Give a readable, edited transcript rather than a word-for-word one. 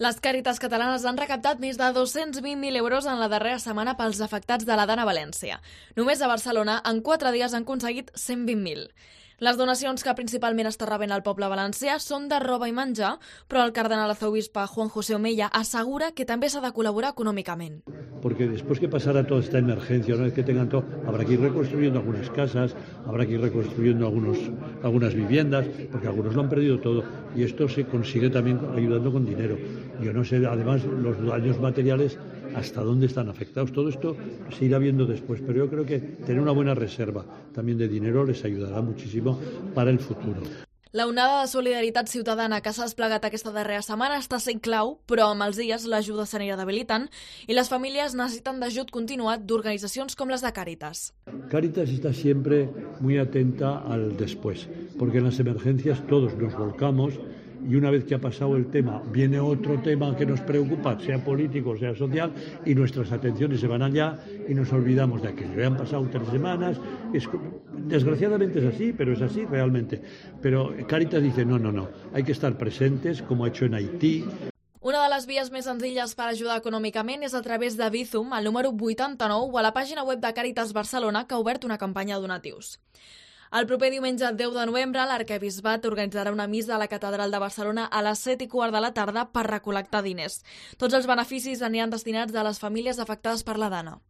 Les Càritas catalanes han recaptat més de 220.000 euros en la darrera setmana pels afectats de la Dana a València. Només a Barcelona, en 4 dies han aconseguit 120.000. Les donacions que principalment està rebent el poble valencià són de roba i menjar, però el cardenal arzobispe Juan José Omeya assegura que també s'ha de col·laborar econòmicament. Porque después que pasara toda esta emergencia, una vez que tengan todo, habrá que ir reconstruyendo algunas casas, habrá que ir reconstruyendo algunas viviendas, porque algunos lo han perdido todo, y esto se consigue también ayudando con dinero. Yo no sé, además, los daños materiales, hasta dónde están afectados. Todo esto se irá viendo después, pero yo creo que tener una buena reserva también de dinero les ayudará muchísimo para el futuro. La onada de solidaritat ciutadana que s'ha desplegat aquesta darrera setmana està sent clau, però amb els dies l'ajuda s'anirà debilitant i les famílies necessiten d'ajut continuat d'organitzacions com les de Càritas. Càritas está siempre muy atenta al después, porque en las emergencias todos nos volcamos y una vez que ha pasado el tema, viene otro tema que nos preocupa, sea político, sea social, y nuestras atenciones se van allá y nos olvidamos de aquello. Ya han pasado 3 semanas, desgraciadamente es así, pero es así realmente. Pero Càritas dice, no, hay que estar presentes, como ha hecho en Haití. Una de les vies més senzilles per ajudar econòmicament és a través de Bizum, al número 89, o a la pàgina web de Càritas Barcelona, que ha obert una campanya de donatius. El proper diumenge 10 de novembre, l'arquebisbat organitzarà una missa a la Catedral de Barcelona a les 7:15 de la tarda per recol·lectar diners. Tots els beneficis aniran destinats a les famílies afectades per la Dana.